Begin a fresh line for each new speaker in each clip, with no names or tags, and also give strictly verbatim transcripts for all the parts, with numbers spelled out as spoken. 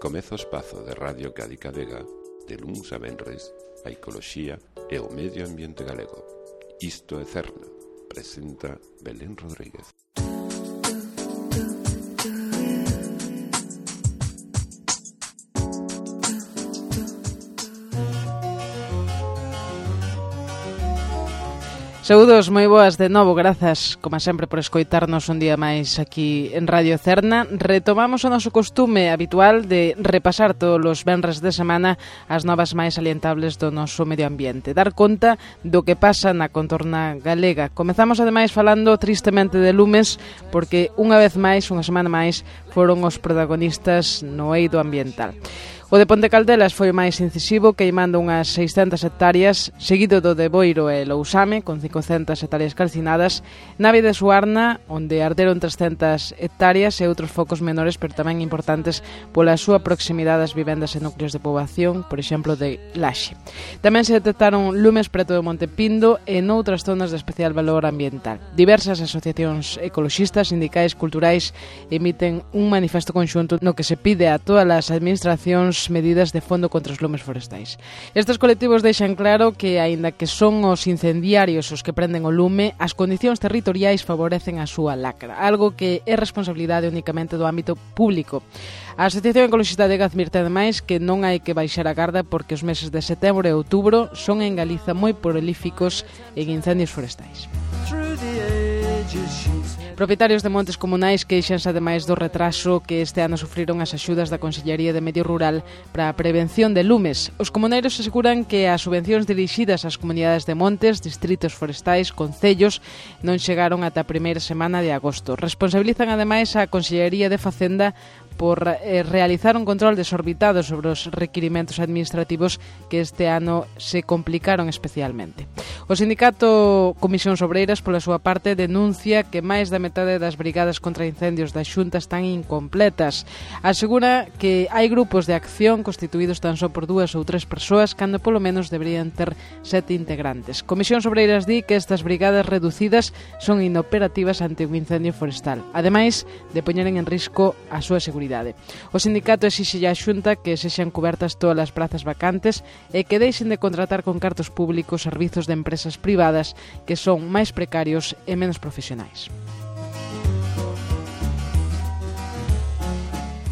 Comeza o espazo de Radio Cádiz Vega de luns a venres a ecoloxía e o medio ambiente galego. Isto é Cerna, presenta Belén Rodríguez.
Saúdos, moi boas de novo, grazas, como sempre, por escoitarnos un día máis aquí en Radio Cerna. Retomamos o noso costume habitual de repasar todos os venres de semana as novas máis salientables do noso medio ambiente, dar conta do que pasa na contorna galega. Comezamos, ademais, falando tristemente de lumes, porque unha vez máis, unha semana máis, foron os protagonistas no eido ambiental. O de Ponte Caldelas foi o máis incisivo, queimando unhas seiscentas hectáreas, seguido do de Boiro e Lousame, con cincocentas hectáreas calcinadas, Nave de Suarna, onde arderon trescentas hectáreas, e outros focos menores, pero tamén importantes pola súa proximidade ás vivendas e núcleos de poboación, por exemplo, de Laxe. Tamén se detectaron lumes preto do Monte Pindo e noutras zonas de especial valor ambiental. Diversas asociacións ecoloxistas, sindicais, culturais, emiten un manifesto conxunto no que se pide a todas as administracións medidas de fondo contra os lumes forestais. Estes colectivos deixan claro que, aínda que son os incendiarios os que prenden o lume, as condicións territoriais favorecen a súa lacra, algo que é responsabilidade únicamente do ámbito público. A Asociación Ecologista de advirte ademais que non hai que baixar a garda porque os meses de setembro e outubro son en Galiza moi prolíficos en incendios forestais. Propietarios de montes comunais queixanse ademais do retraso que este ano sufriron as axudas da Consellería de Medio Rural para a prevención de lumes. Os comuneiros aseguran que as subvencións dirixidas ás comunidades de montes, distritos forestais, concellos non chegaron ata a primeira semana de agosto. Responsabilizan ademais a Consellería de Facenda por eh, realizar un control desorbitado sobre os requirimentos administrativos que este ano se complicaron especialmente. O sindicato Comisións Obreiras, pola súa parte, denuncia que máis da metade das brigadas contra incendios da Xunta están incompletas. Asegura que hai grupos de acción constituídos tan só por dúas ou tres persoas, cando polo menos deberían ter sete integrantes. Comisións Obreiras di que estas brigadas reducidas son inoperativas ante un incendio forestal, ademais de poñeren en risco a súa seguridade. O sindicato exixe a Xunta que sexan cubertas todas as prazas vacantes e que deixen de contratar con cartos públicos servizos de empresas privadas que son máis precarios e menos profesionais.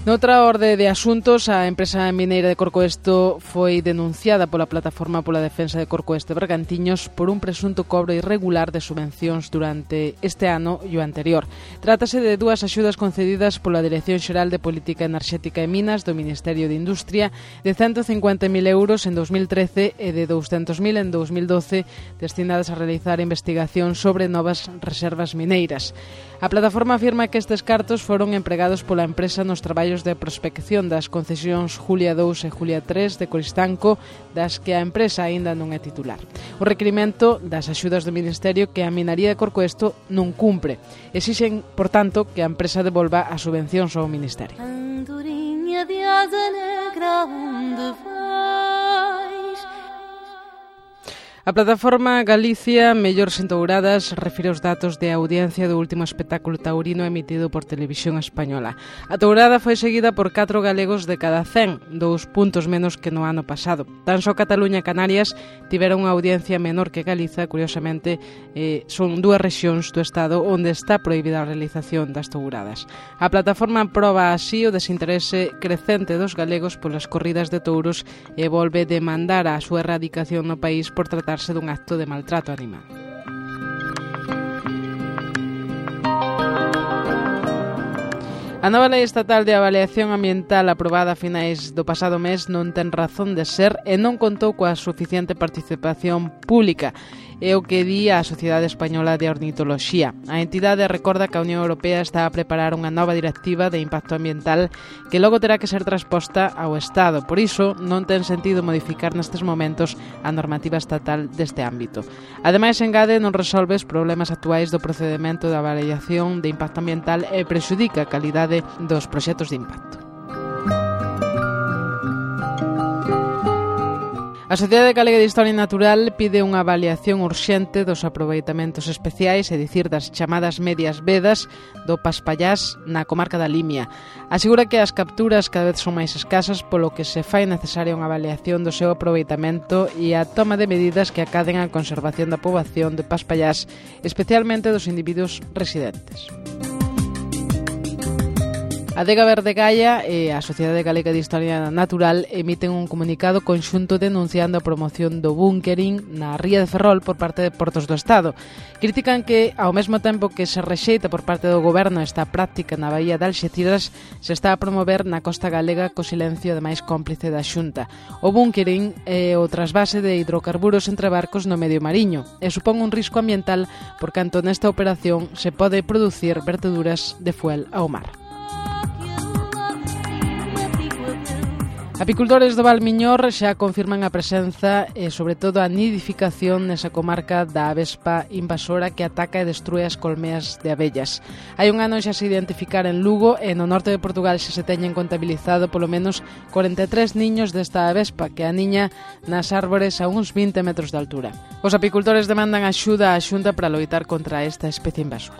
Noutra orde de asuntos, a empresa mineira de Corcoesto foi denunciada pola Plataforma pola Defensa de Corcoesto e Bergantiños por un presunto cobro irregular de subvencións durante este ano e o anterior. Trátase de dúas axudas concedidas pola Dirección Xeral de Política Enerxética e Minas do Ministerio de Industria de ciento cincuenta mil euros en dos mil trece e de douscentos mil en dos mil doce destinadas a realizar investigación sobre novas reservas mineiras. A plataforma afirma que estes cartos foron empregados pola empresa nos traballos de prospección das concesións Julia dous e Julia tres de Coristanco, das que a empresa aínda non é titular. O requirimento das axudas do Ministerio que a Minería de Corcoesto non cumpre. Exixen, por tanto, que a empresa devolva as subvencións ao Ministerio. Andorinha de asa negra, onde vais? A plataforma Galicia Mellores Entouradas refire os datos de audiencia do último espectáculo taurino emitido por Televisión Española. A tourada foi seguida por catro galegos de cada cen, dous puntos menos que no ano pasado. Tan só Cataluña e Canarias tiveron unha audiencia menor que Galiza, curiosamente, eh, son dúas rexións do Estado onde está prohibida a realización das touradas. A plataforma proba así o desinterese crecente dos galegos polas corridas de touros e volve demandar a súa erradicación no país por tratar dun acto de maltrato animal. A nova Lei Estatal de Avaliación Ambiental aprobada a finais do pasado mes non ten razón de ser e non contou coa suficiente participación pública. É o que di a Sociedade Española de Ornitoloxía. A entidade recorda que a Unión Europea está a preparar unha nova directiva de impacto ambiental que logo terá que ser transposta ao Estado. Por iso, non ten sentido modificar nestes momentos a normativa estatal deste ámbito. Ademais, engade, non resolve os problemas actuais do procedimento de avaliación de impacto ambiental e prexudica a calidade dos proxectos de impacto. A Sociedade Galega de Historia Natural pide unha avaliación urxente dos aproveitamentos especiais, é dicir, das chamadas medias vedas do Paspallás na comarca da Limia. Asegura que as capturas cada vez son máis escasas, polo que se fai necesaria unha avaliación do seu aproveitamento e a toma de medidas que acaden á conservación da poboación de Paspallás, especialmente dos individuos residentes. A Adega Verde Gaia e a Sociedade Galega de Historia Natural emiten un comunicado conxunto denunciando a promoción do búnkering na ría de Ferrol por parte de Portos do Estado. Critican que, ao mesmo tempo que se rexeita por parte do goberno esta práctica na baía de Alxeciras, se está a promover na costa galega co silencio de máis cómplice da Xunta. O búnkering é o trasvase de hidrocarburos entre barcos no medio mariño e supón un risco ambiental por canto nesta operación se pode producir verteduras de fuel ao mar. Apicultores do Val Miñor xa confirman a presenza e, sobre todo, a nidificación nesa comarca da avespa invasora que ataca e destrue as colmeas de abellas. Hai un ano xa se identificar en Lugo e no norte de Portugal xa se teñen contabilizado polo menos cuarenta e tres niños desta avespa que aniña nas árbores a uns vinte metros de altura. Os apicultores demandan axuda á Xunta para loitar contra esta especie invasora.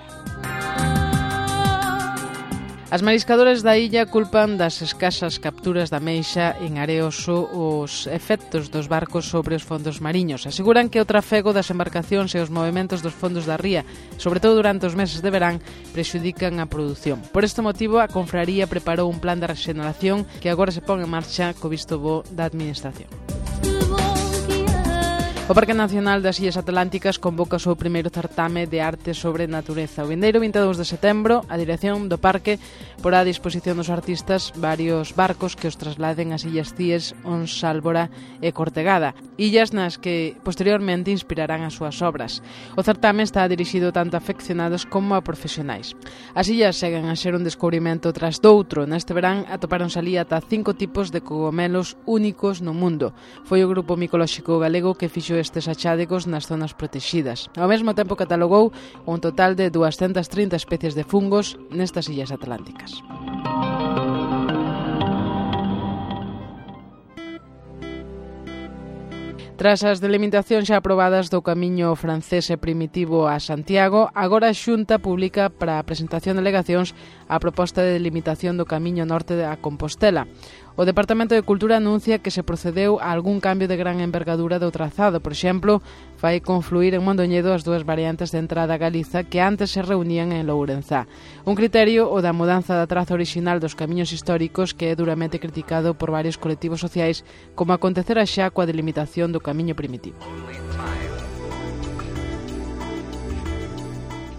As mariscadores da illa culpan das escasas capturas da meixa en Areoso os efectos dos barcos sobre os fondos mariños. Aseguran que o trafego das embarcacións e os movementos dos fondos da ría, sobre todo durante os meses de verán, prexudican a produción. Por este motivo, a Confraría preparou un plan de rexeneración que agora se pon en marcha co visto bo da Administración. O Parque Nacional das Illas Atlánticas convoca o seu primeiro certame de arte sobre natureza. O vindeiro vinte e dous de setembro, a dirección do parque porá a disposición dos artistas varios barcos que os trasladen ás Illas Cíes, Ons, Sálvora e Cortegada, illas nas que posteriormente inspirarán as súas obras. O certame está dirixido tanto a afeccionados como a profesionais. As illas seguen a ser un descubrimento tras doutro. Neste verán atopáronse ali ata cinco tipos de cogomelos únicos no mundo. Foi o Grupo Micolóxico Galego que fixo estes achádegos nas zonas protexidas. Ao mesmo tempo catalogou un total de duascentas trinta especies de fungos nestas illas atlánticas. Tras as delimitacións xa aprobadas do camiño francés e primitivo a Santiago, agora a Xunta publica para a presentación de alegacións a proposta de delimitación do camiño norte a Compostela. O Departamento de Cultura anuncia que se procedeu a algún cambio de gran envergadura do trazado. Por exemplo, vai confluir en Mondoñedo as dúas variantes de entrada a Galiza que antes se reunían en Lourenzá. Un criterio o da mudanza da traza orixinal dos camiños históricos que é duramente criticado por varios colectivos sociais, como acontecera xa coa delimitación do camiño primitivo.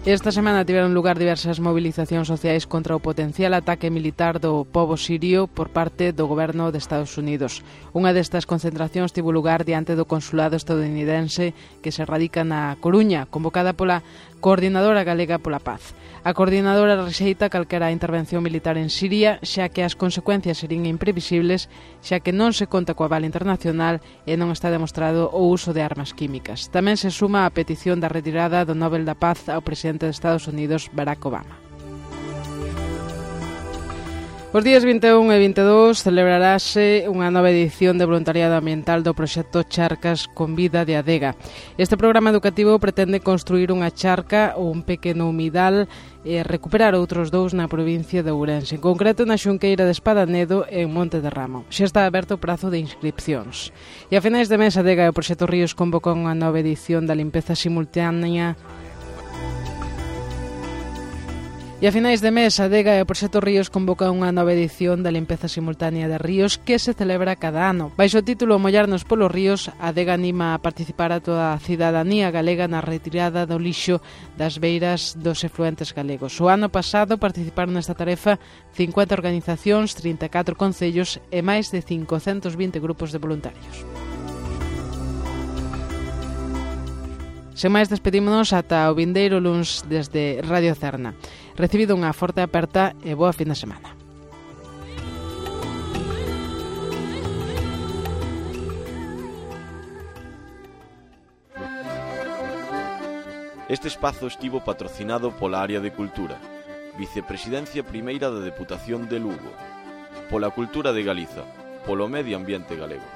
Esta semana tiveron lugar diversas movilizacións sociais contra o potencial ataque militar do pobo sirio por parte do goberno de Estados Unidos. Unha destas concentracións tivo lugar diante do consulado estadounidense que se radica na Coruña, convocada pola Coordinadora Galega pola Paz. A coordinadora rexeita calquera intervención militar en Siria, xa que as consecuencias serían imprevisibles, xa que non se conta coa aval internacional e non está demostrado o uso de armas químicas. Tamén se suma a petición da retirada do Nobel da Paz ao presidente de Estados Unidos, Barack Obama. Os días vinte e un e vinte e dous celebrarase unha nova edición de voluntariado ambiental do proxecto Charcas con Vida de Adega. Este programa educativo pretende construir unha charca ou un pequeno humidal e recuperar outros dous na provincia de Ourense, en concreto na Xunqueira de Espadanedo e en Monte de Ramo. Xa está aberto o prazo de inscripcións. E a finais de mes, Adega e o proxecto Ríos convocan unha nova edición da limpeza simultánea. E a finais de mes, a Adega e o Proxecto Ríos convoca unha nova edición da limpeza simultánea de ríos que se celebra cada ano. Baixo o título Mollarnos polos ríos, a Adega anima a participar a toda a cidadanía galega na retirada do lixo das beiras dos efluentes galegos. O ano pasado participaron nesta tarefa cincuenta organizacións, trinta e catro concellos e máis de cincocentos vinte grupos de voluntarios. Sen máis, despedímonos ata o vindeiro luns desde Radio Cerna. Recibido unha forte aperta e boa fin de semana.
Este espazo estivo patrocinado pola Área de Cultura, Vicepresidencia Primeira da Deputación de Lugo, pola Cultura de Galiza, polo Medio Ambiente Galego.